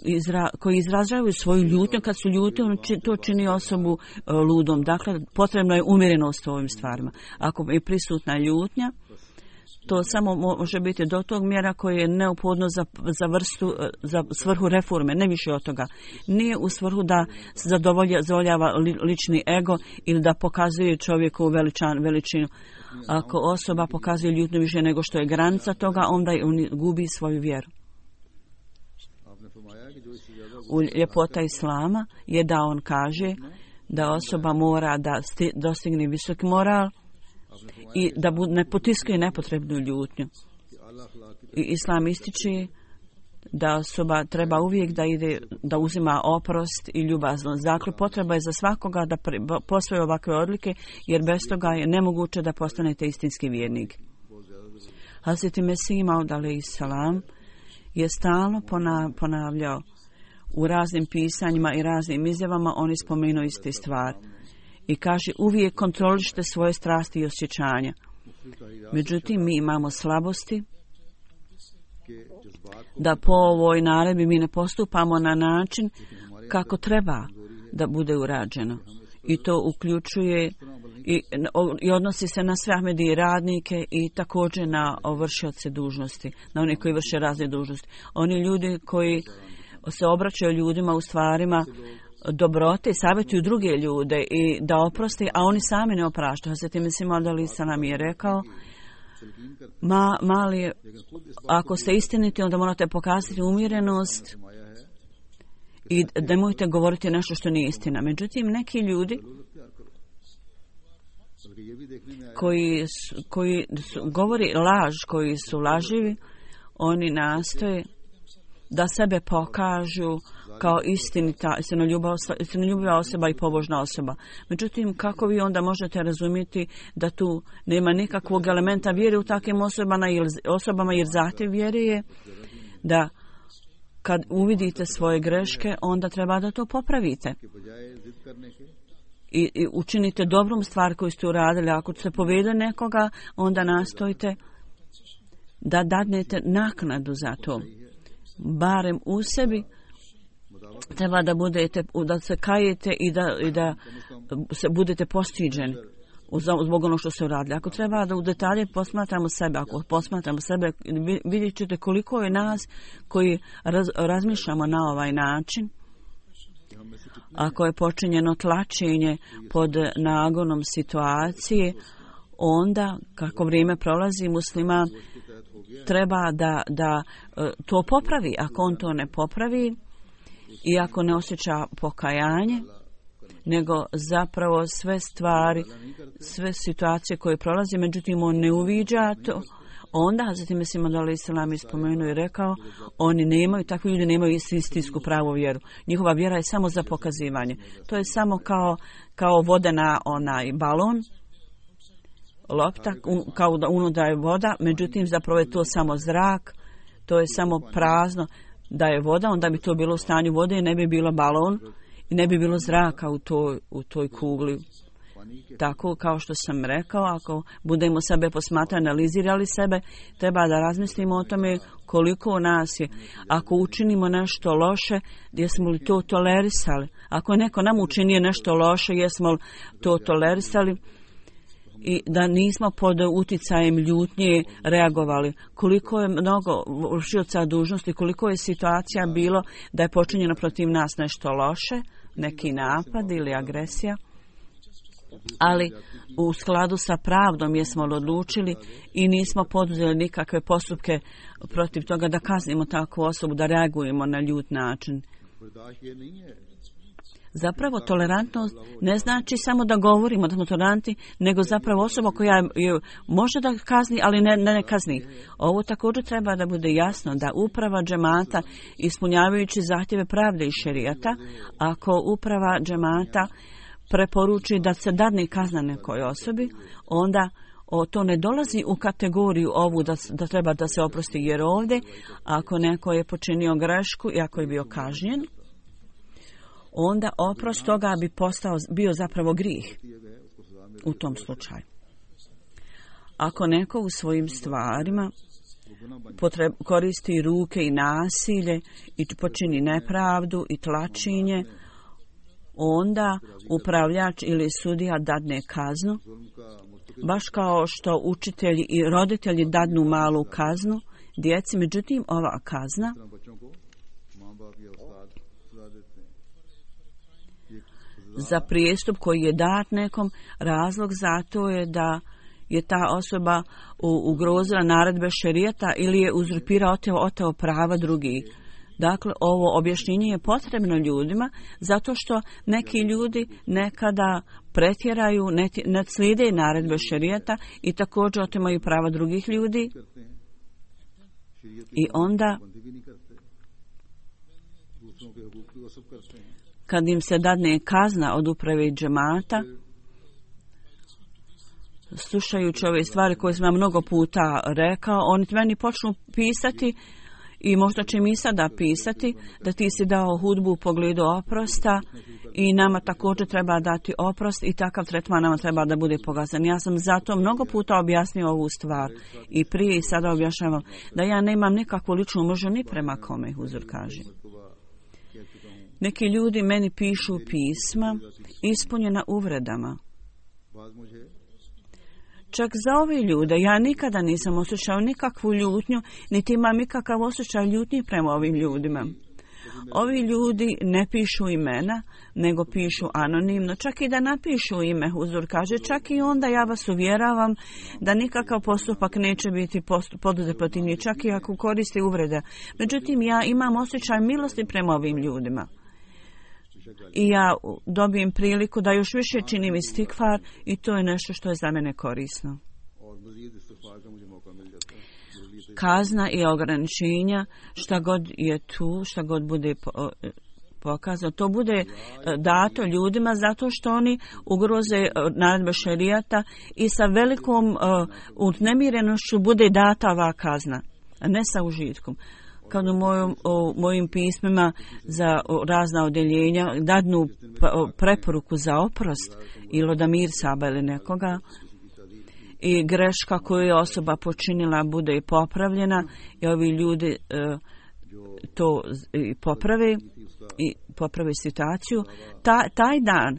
izra, koji izražavaju svoju ljutnju, kad su ljuti, on či, to čini osobu uh, ludom. Dakle, potrebno je umjerenost u ovim stvarima. Ako je prisutna ljutnja, to samo može biti do tog mjera koje je neophodno za, za vrstu, za svrhu reforme, ne više od toga. Nije u svrhu da se zadovoljava li, lični ego ili da pokazuje čovjeku veličan, veličinu. Ako osoba pokazuje ljutnju više nego što je granica toga, onda on gubi svoju vjeru. U ljepota Islama je da on kaže da osoba mora da sti, dostigne visoki moral i da ne potiskuje nepotrebnu ljutnju. I Islam ističe da osoba treba uvijek da ide, da uzima oprost i ljubaznost. Dakle, potreba je za svakoga da posvoje ovakve odlike, jer bez toga je nemoguće da postanete istinski vjernik. Hazreti Mesih Maud alejhi selam je stalno ponavljao u raznim pisanjima i raznim izjavama, oni spomenuo iste stvar. I kaže, uvijek kontrolišite svoje strasti i osjećanja. Međutim, mi imamo slabosti da po ovoj naredbi mi ne postupamo na način kako treba da bude urađeno. I to uključuje i, i odnosi se na sve Ahmedije radnike i također na vršioce dužnosti, na one koji vrše razne dužnosti. Oni ljudi koji se obraćaju ljudima u stvarima dobrote i savjetuju druge ljude i da oproste, a oni sami ne opraštaju. Hazreti Mesih Maud alejhi selam je rekao, Ma, mali, ako ste istiniti, onda morate pokazati umjerenost i nemojte govoriti nešto što nije istina. Međutim, neki ljudi koji, su, koji su, govori laž, koji su laživi, oni nastoje da sebe pokažu kao istinita, istinoljubiva osoba i pobožna osoba. Međutim, kako vi onda možete razumjeti da tu nema nikakvog elementa vjere u takvim osobama, osobama jer zahtjev vjere je da kad uvidite svoje greške, onda treba da to popravite. I, i učinite dobrom stvar koju ste uradili. Ako se povede nekoga, onda nastojite da dadnete naknadu za to. Barem u sebi treba da budete, da se kajete i da, i da se budete postiđeni zbog ono što se uradili. Ako treba da u detalje posmatramo sebe, ako posmatramo sebe, vidjet ćete koliko je nas koji raz, razmišljamo na ovaj način. Ako je počinjeno tlačenje pod nagonom situacije, onda kako vrijeme prolazi, musliman treba da, da to popravi. Ako on to ne popravi i ako ne osjeća pokajanje, nego zapravo sve stvari, sve situacije koje prolazi, međutim on ne uviđa to, onda Hazreti Mesih Maud alejhi selam je spomenuo i rekao, oni nemaju, takvi ljudi nemaju istinsku pravu vjeru. Njihova vjera je samo za pokazivanje. To je samo kao, kao voda na onaj balon, lopta, un, kao da unutra je voda, međutim zapravo je to samo zrak, to je samo prazno. Da je voda, onda bi to bilo u stanju vode i ne bi bilo balon i ne bi bilo zraka u toj, u toj kugli. Tako kao što sam rekao, ako budemo sebe posmatrati, analizirali sebe, treba da razmislimo o tome koliko nas je. Ako učinimo nešto loše, jesmo li to tolerisali? Ako je neko nam učinio nešto loše, jesmo li to tolerisali? I da nismo pod uticajem ljutnje reagovali. Koliko je mnogo vršioca dužnosti, koliko je situacija bilo da je počinjeno protiv nas nešto loše, neki napad ili agresija, ali u skladu sa pravdom jesmo odlučili i nismo poduzeli nikakve postupke protiv toga da kaznimo takvu osobu, da reagujemo na ljut način. Zapravo tolerantnost ne znači samo da govorimo da smo toleranti, nego zapravo osoba koja je, može da kazni, ali ne, ne kazni. Ovo također treba da bude jasno da uprava džemata, ispunjavajući zahtjeve pravde i šerijata, ako uprava džemata preporuči da se dadne kazna nekoj osobi, onda o, to ne dolazi u kategoriju ovu da, da treba da se oprosti, jer ovdje ako neko je počinio grešku i ako je bio kažnjen, onda oprost toga bi postao, bio zapravo grijeh u tom slučaju. Ako neko u svojim stvarima potreb, koristi ruke i nasilje i počini nepravdu i tlačenje, onda upravljač ili sudija dadne kaznu, baš kao što učitelji i roditelji dadnu malu kaznu djeci. Međutim, ova kazna za prijestup koji je dat nekom, razlog za to je da je ta osoba ugrozila naredbe šerijata ili je uzurpirao, oteo, oteo prava drugih. Dakle, ovo objašnjenje je potrebno ljudima zato što neki ljudi nekada pretjeraju, ne, ne slijede naredbe šerijata i također otimaju prava drugih ljudi i onda kad im se dadne kazna od uprave džemata, slušajući ove stvari koje sam mnogo puta rekao, oni meni počnu pisati i možda će mi sada pisati da ti si dao hudbu u pogledu oprosta i nama također treba dati oprost i takav tretman nama treba da bude pogazan. Ja sam zato mnogo puta objasnio ovu stvar i prije i sada objašnjavam da ja nemam nikakvu ličnu mržnju ni prema kome, Huzur kaže. Neki ljudi meni pišu pisma ispunjena uvredama. Čak za ove ljude ja nikada nisam osjećao nikakvu ljutnju, niti imam nikakav osjećaj ljutnji prema ovim ljudima. Ovi ljudi ne pišu imena, nego pišu anonimno. Čak i da napišu ime, Huzur kaže, čak i onda ja vas uvjeravam da nikakav postupak neće biti poduzet protiv njih, čak i ako koriste uvrede. Međutim, ja imam osjećaj milosti prema ovim ljudima. I ja dobijem priliku da još više činim istikfar i to je nešto što je za mene korisno. Kazna i ograničenja, šta god je tu, šta god bude pokazano, to bude dato ljudima zato što oni ugroze naredbe šerijata i sa velikom uznemirenošću bude data ova kazna, a ne sa užitkom. Kad u mojom, o, mojim pismima za o, razna odjeljenja dadnu preporuku za oprost ili od Amir Saba ili nekoga i greška koju je osoba počinila bude i popravljena i ovi ljudi e, to i poprave i poprave situaciju, ta, taj dan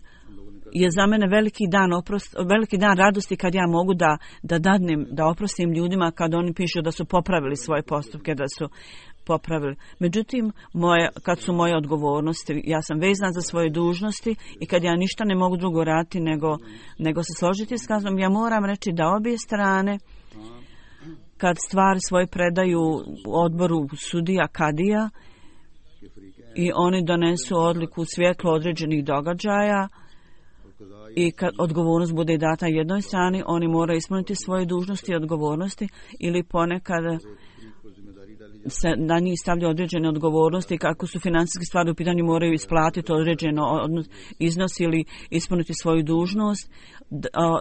je za mene veliki dan oprost, veliki dan radosti kad ja mogu da, da dadnem, da oprostim ljudima kad oni pišu da su popravili svoje postupke, da su popravili. Međutim, moje, kad su moje odgovornosti, ja sam vezana za svoje dužnosti i kad ja ništa ne mogu drugo raditi nego, nego se složiti s kaznom, ja moram reći da obje strane kad stvari svoje predaju odboru sudija kadija i oni donesu odluku u svjetlu određenih događaja i kad odgovornost bude data jednoj strani, oni moraju ispuniti svoje dužnosti i odgovornosti ili ponekad se na njih stavlja određene odgovornosti, kako su financijske stvari u pitanju, moraju isplatiti određeno iznos ili ispuniti svoju dužnost.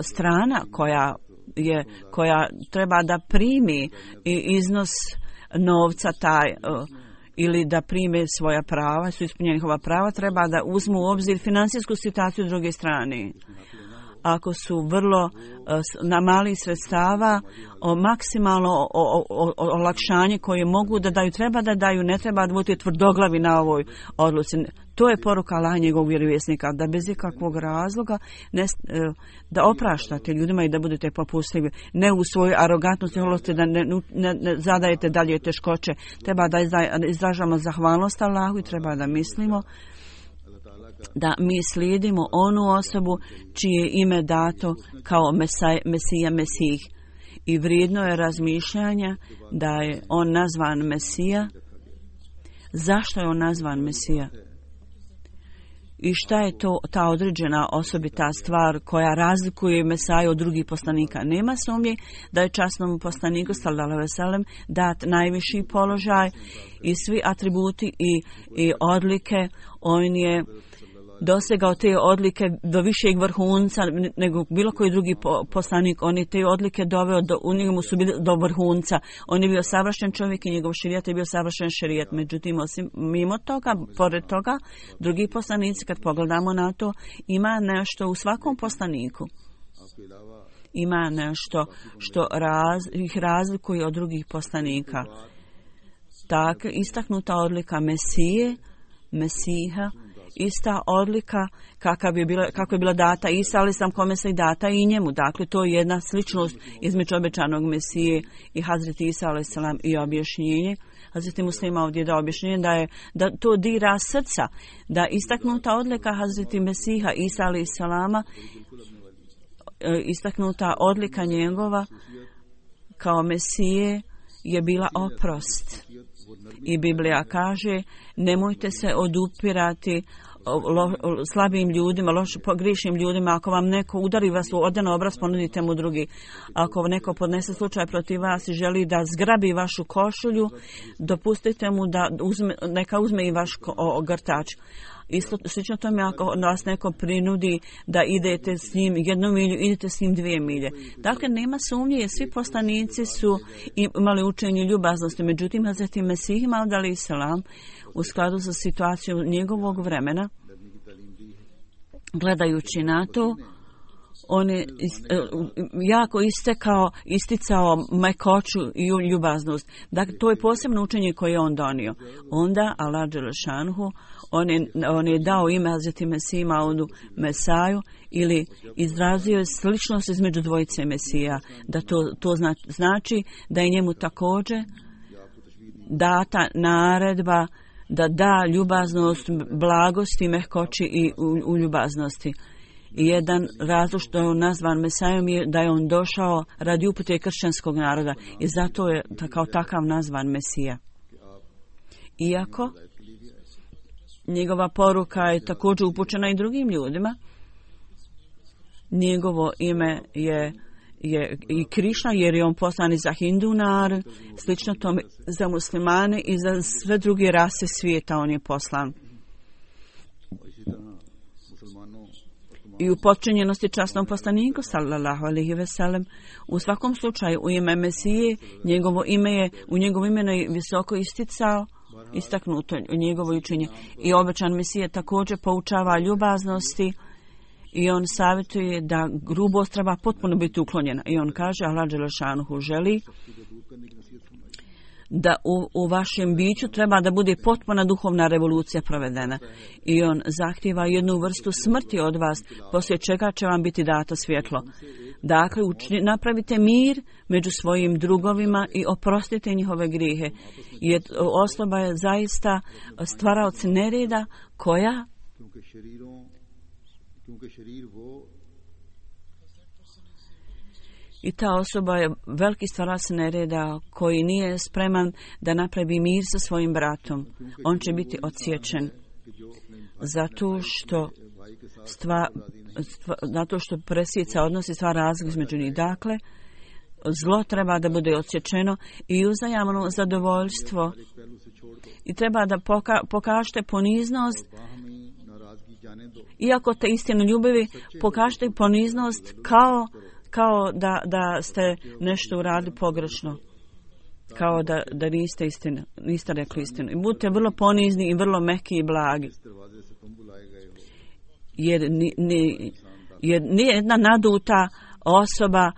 Strana koja je, koja treba da primi iznos novca taj ili da prime svoja prava, su ispunjeni njihova prava, treba da uzmu u obzir financijsku situaciju druge strane. Ako su vrlo na mali sredstava, o maksimalno o, o, o, olakšanje koje mogu da daju, treba da daju, ne treba da budete tvrdoglavi na ovoj odluci. To je poruka Allaha njegovog vjerovjesnika, da bez ikakvog razloga ne, da opraštate ljudima i da budete popustljivi, ne u svojoj arogantnosti, holosti, da ne, ne, ne zadajete dalje teškoće. Treba da izražamo zahvalnost Allahu i treba da mislimo da mi slijedimo onu osobu čije ime dato kao Mesaj, Mesija, Mesih. I vrijedno je razmišljanja da je on nazvan Mesija. Zašto je on nazvan Mesija? I šta je to ta određena osobita stvar koja razlikuje Mesaju od drugih poslanika? Nema sumnje da je časnom poslaniku sallallahu alejhi ve sellem dat najviši položaj i svi atributi i, i odlike. On je dosegao te odlike do višeg vrhunca nego bilo koji drugi poslanik. On je te odlike doveo, do, u njemu su bili do vrhunca. On je bio savršen čovjek i njegov šerijat je bio savršen šerijat. Međutim, osim mimo toga, pored toga, drugi poslanici, kad pogledamo na to, ima nešto u svakom poslaniku. Ima nešto što raz, ih razlikuje od drugih poslanika. Tak, istaknuta odlika Mesije, Mesiha, ista odlika kakav je bila, kako je bila data Isa, ali sam kome se i data i njemu. Dakle, to je jedna sličnost između obećanog Mesije i Hazreti Isa alejhi selam i objašnjenje. Hazreti Muslima ovdje da objašnjenje da je da to dira srca, da istaknuta odlika Hazreti Mesiha Isa alejhi selama, istaknuta odlika njegova kao Mesije je bila oprost. I Biblija kaže, nemojte se odupirati lo, slabim ljudima, loš, pogrišnim ljudima. Ako vam neko udari vas u odan obraz, ponudite mu drugi. Ako neko podnese slučaj protiv vas i želi da zgrabi vašu košulju, dopustite mu da uzme, neka uzme i vaš ogrtač. Isto slično tome ako vas neko prinudi da idete s njim jednu milju, idete s njim dvije milje. Dakle, nema sumnje, svi poslanici su imali učenje ljubaznosti. Međutim, Hazreti Mesih Maud alejhi selam u skladu sa situacijom njegovog vremena, gledajući na to, on je jako istekao, isticao mekoću i ljubaznost. Dakle, to je posebno učenje koje je on donio. Onda Allah dželešanuhu on je, on je dao ime Hazreti Mesih Maudu Mesaju ili izrazio je sličnost između dvojice Mesija. Da to, to znači da je njemu također data naredba da da ljubaznost, blagosti, mehkoći i u, u ljubaznosti. I jedan razlog što je on nazvan Mesajom je da je on došao radi upute kršćanskog naroda i zato je kao takav nazvan Mesija. Iako njegova poruka je također upućena i drugim ljudima, njegovo ime je, je i Krišna jer je on poslan i za Hindu narod, slično tome za muslimane i za sve druge rase svijeta on je poslan. I u potčinjenosti časnom poslaniku sallallahu alejhi ve sellem. U svakom slučaju u ime Mesije njegovo ime je u njegovo ime je visoko isticao, istaknuto u njegovo učenje. I obećan Mesije također poučava ljubaznosti i on savjetuje da grubost treba potpuno biti uklonjena. I on kaže Allah dželešanuhu želi da u, u vašem biću treba da bude potpuna duhovna revolucija provedena. I on zahtjeva jednu vrstu smrti od vas, poslije čega će vam biti dato svjetlo. Dakle, učini, napravite mir među svojim drugovima i oprostite njihove grijehe. Jer osoba je zaista stvaraoc nereda koja i ta osoba je veliki stvarac nereda koji nije spreman da napravi mir sa svojim bratom. On će biti odsječen zato što stva, stva, zato što presjeca odnosi sva razlika između njih. Dakle, zlo treba da bude odsječeno i uzajamno zadovoljstvo i treba da poka, pokažete poniznost. Iako te istinu ljubavi, pokažete poniznost kao kao da, da ste nešto uradili pogrešno. Kao da, da niste istinu, niste rekli istinu. I budite vrlo ponizni i vrlo meki i blagi. Jer, ni, ni, jer nijedna naduta osoba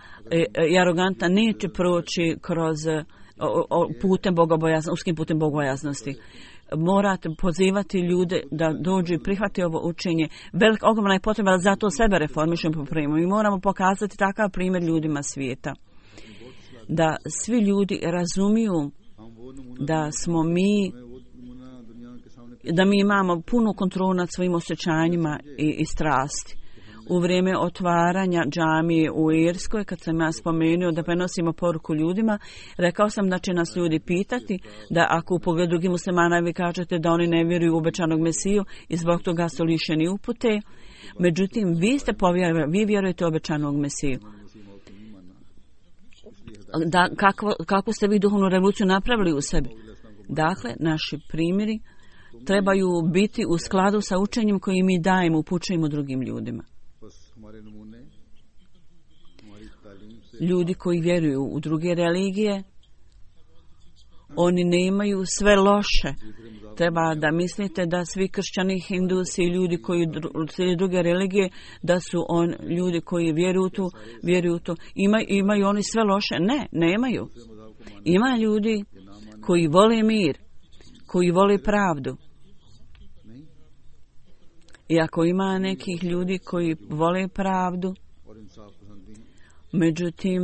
i arogantna neće proći kroz o, o, putem bogobojaznosti, uskim putem bogobojaznosti. Morate pozivati ljude da dođu i prihvati ovo učenje. Velik ogromna je potreba da zato sebe reformišemo po primu. Mi moramo pokazati takav primjer ljudima svijeta. Da svi ljudi razumiju da smo mi, da mi imamo punu kontrolu nad svojim osjećanjima i, i strasti. U vrijeme otvaranja džamije u Irskoj, kad sam ja spomenuo da prenosimo poruku ljudima, rekao sam da će nas ljudi pitati da ako u pogledu drugih muslimana vi kažete da oni ne vjeruju u obećanog Mesiju i zbog toga su lišeni upute, međutim vi ste povjerovali, vi vjerujete u obećanog Mesiju. Da, kako, kako ste vi duhovnu revoluciju napravili u sebi? Dakle, naši primjeri trebaju biti u skladu sa učenjem koji mi dajemo, upućujemo drugim ljudima. Ljudi koji vjeruju u druge religije, oni ne imaju sve loše. Treba da mislite da svi kršćani, hindusi i ljudi koji slijede druge religije, da su on ljudi koji vjeruju tu, vjeruju tu. Ima, imaju oni sve loše? Ne, nemaju. Ima ljudi koji vole mir, koji vole pravdu. I ako ima nekih ljudi koji vole pravdu, međutim,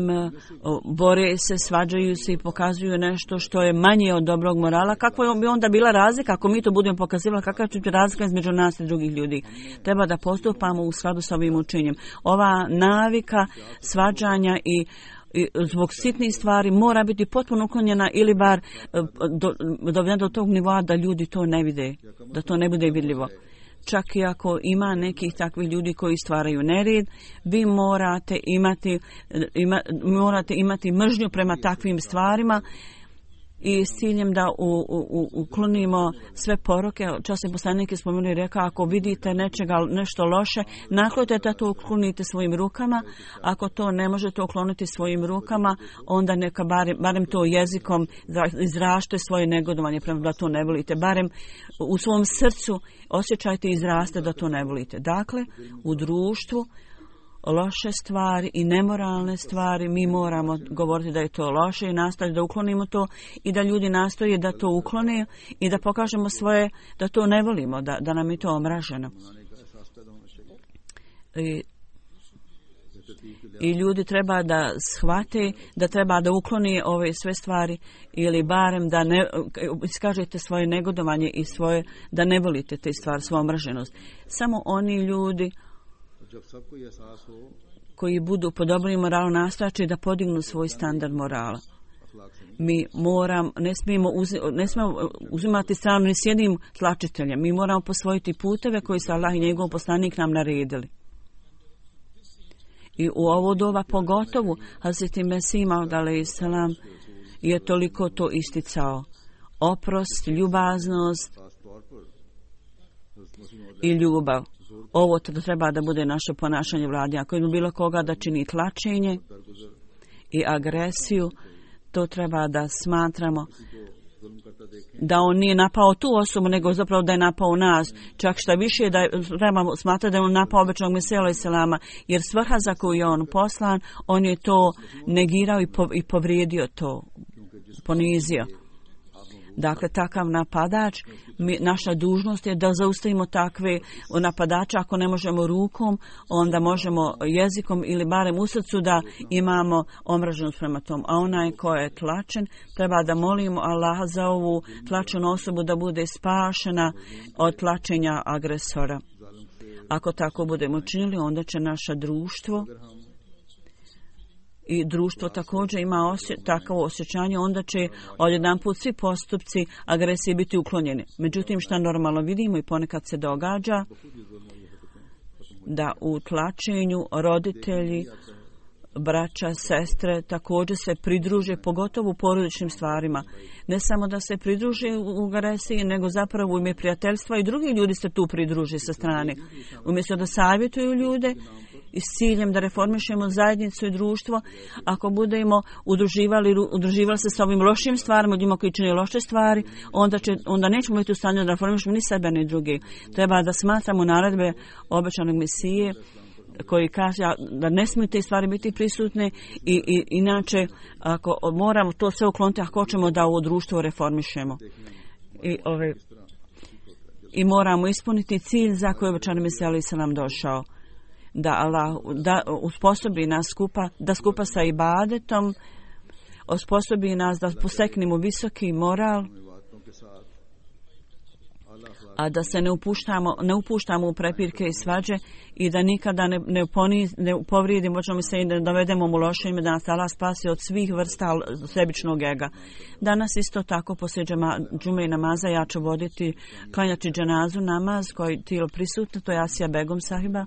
bore se, svađaju se i pokazuju nešto što je manje od dobrog morala, kako bi onda bila razlika ako mi to budemo pokazivali, kakva će biti razlika između nas i drugih ljudi. Treba da postupamo u skladu sa ovim učenjem. Ova navika svađanja i i zbog sitnih stvari mora biti potpuno uklonjena ili bar do, do, do tog nivoa da ljudi to ne vide, da to ne bude vidljivo. Čak i ako ima nekih takvih ljudi koji stvaraju nered, vi morate imati, ima, morate imati mržnju prema takvim stvarima i s ciljem da u, u, uklonimo sve poroke. Časni poslanik je spomenuo i rekao, ako vidite nečega, nešto loše, naklonite da to uklonite svojim rukama. Ako to ne možete ukloniti svojim rukama, onda neka barem, barem to jezikom izrašte svoje negodovanje prema da to ne volite. Barem u svom srcu osjećajte i izraste da to ne volite. Dakle, u društvu loše stvari i nemoralne stvari, mi moramo govoriti da je to loše i nastaviti da uklonimo to i da ljudi nastoje da to uklone i da pokažemo svoje, da to ne volimo, da, da nam je to omraženo. I, I ljudi treba da shvate da treba da ukloni ove sve stvari ili barem da ne iskažete svoje negodovanje i svoje, da ne volite te stvari, svoju omraženost. Samo oni ljudi koji budu po dobrim moralu nastojaći da podignu svoj standard morala. Mi moram, ne smijemo, uzi, ne smijemo uzimati stranu ni s jednim tlačiteljem. Mi moramo posvojiti puteve koji su Allah i njegov poslanik nam naredili. I u ovo doba pogotovo Hazreti Mesih Maud alejhi selam je toliko to isticao. Oprost, ljubaznost i ljubav. Ovo treba da bude naše ponašanje vladi. Ako ima bilo koga da čini tlačenje i agresiju, to treba da smatramo da on nije napao tu osobu, nego zapravo da je napao nas. Čak šta više da je, treba smatrati da je on napao običnog Mesija alejhi selama, jer svrha za koju je on poslan, on je to negirao i, po, i povrijedio to, ponizio. Dakle, takav napadač, mi, naša dužnost je da zaustavimo takve napadače. Ako ne možemo rukom, onda možemo jezikom ili barem u srcu da imamo omraženost prema tom. A onaj ko je tlačen, treba da molimo Allaha za ovu tlačenu osobu da bude spašena od tlačenja agresora. Ako tako budemo činili, onda će naše društvo i društvo također ima osje, takvo osjećanje, onda će odjedanput svi postupci agresije biti uklonjeni. Međutim, šta normalno vidimo i ponekad se događa, da u tlačenju roditelji, braća, sestre također se pridruže, pogotovo u porodičnim stvarima. Ne samo da se pridruže u agresiji, nego zapravo u ime prijateljstva i drugi ljudi se tu pridruže sa strane. Umjesto da savjetuju ljude i s ciljem da reformišemo zajednicu i društvo, ako budemo udruživali, udruživali se sa ovim lošim stvarima, ljudima koji čine loše stvari, onda, će, onda nećemo biti u stanju da reformišemo ni sebe ni drugi. Treba da smatramo naredbe obećanog Mesije koji kaže da ne smiju te stvari biti prisutne i, i inače ako moramo to sve ukloniti ako hoćemo da ovo društvo reformišemo. I, ove, i moramo ispuniti cilj za koji obećani Mesija alejhi selam došao. Da Allah da usposobi nas skupa, da skupa sa ibadetom osposobi nas da poseknemo visoki moral, a da se ne upuštamo, ne upuštamo u prepirke i svađe i da nikada ne, ne, poniz, ne povrijedimo, možemo se i da dovedemo u loše ime, da nas Allah spasi od svih vrsta sebičnog ega. Danas isto tako poslije džume i namaza ja ću voditi, klanjati dženazu namaz koji tijelo prisutno, to je Asija Begum sahiba,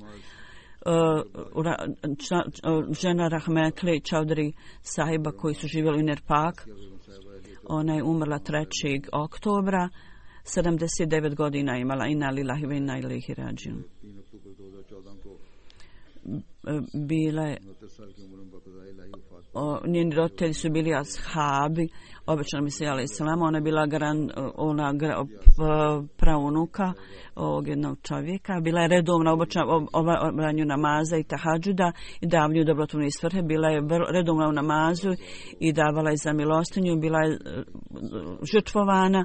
Uh, ra, ča, uh, žena Rahmetli Čaudri sahiba koji su živjeli u Nerpak. Ona je umrla trećeg oktobra, sedamdeset devet godina imala. Inna lillahi wa inna ilaihi rađiun. Bile o, njeni roditelji su bili ashabi obećanog Mesija alejhi selam. Ona je bila gran, ona gra, praunuka ovog jednog čovjeka. Bila je redovna obranju namaza i tahadžuda i davlju dobrotvorne svrhe. Bila je redovna u namazu i davala je za milostinju. Bila je žrtvovana.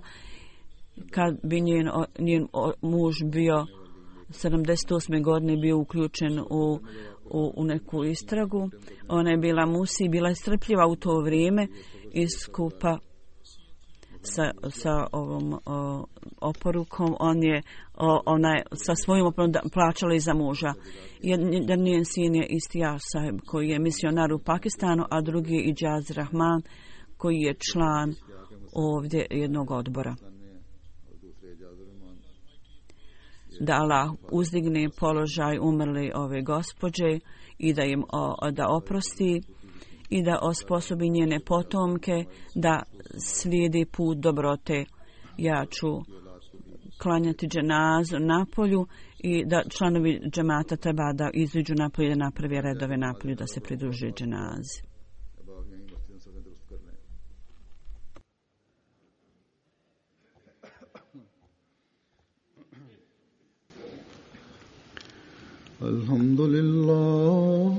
Kad bi njen, njen muž bio sedamdeset osme godine bio uključen u U, u neku istragu. Ona je bila musi, bila je strpljiva u to vrijeme i skupa sa, sa ovom o, oporukom. On je o, onaj, sa svojim oporukom plaćala i za muža. Jedan njen sin je Istijah Sahib koji je misionar u Pakistanu, a drugi je Ijaz Rahman koji je član ovdje jednog odbora. Da Allah uzdigne položaj umrli ove gospođe i da im o, da oprosti i da osposobi njene potomke da slijedi put dobrote. Ja ću klanjati dženazu napolju i da članovi džemata treba da iziđu napolju i da napravi redove napolju da se pridruže dženazi. Alhamdulillah,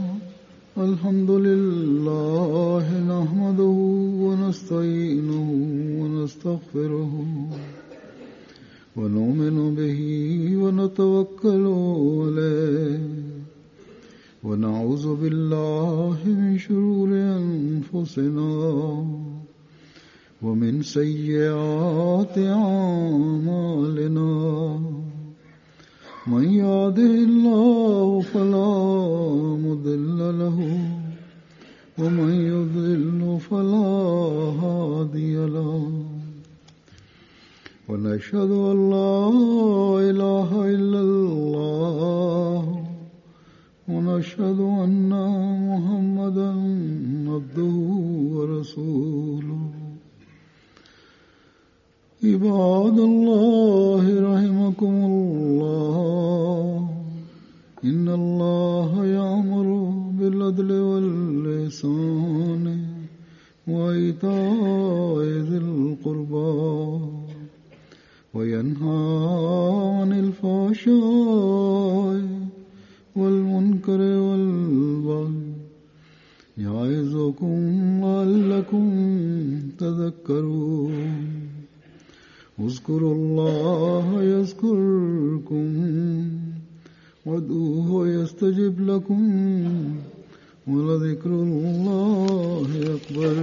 alhamdulillah, nahmaduhu wa nasta'inuhu wa nastaghfiruhu wa nu'minu bihi wa natawakkalu alayhi wa na'udhu billahi min shururi anfusina wa min sayyiati a'malina. من يهده الله فلا مضل له ومن يضلل فلا هادي له ونشهد أن لا إله إلا الله ونشهد أن محمدا عبده ورسوله. عباد الله رحمكم الله إن الله يأمر بالعدل والإحسان وإيتاء ذي القربى وينهى عن الفحشاء والمنكر والبغي يعظكم لعلكم تذكرون. اذكروا الله يذكركم وادعوه يستجب لكم ولذكر الله أكبر.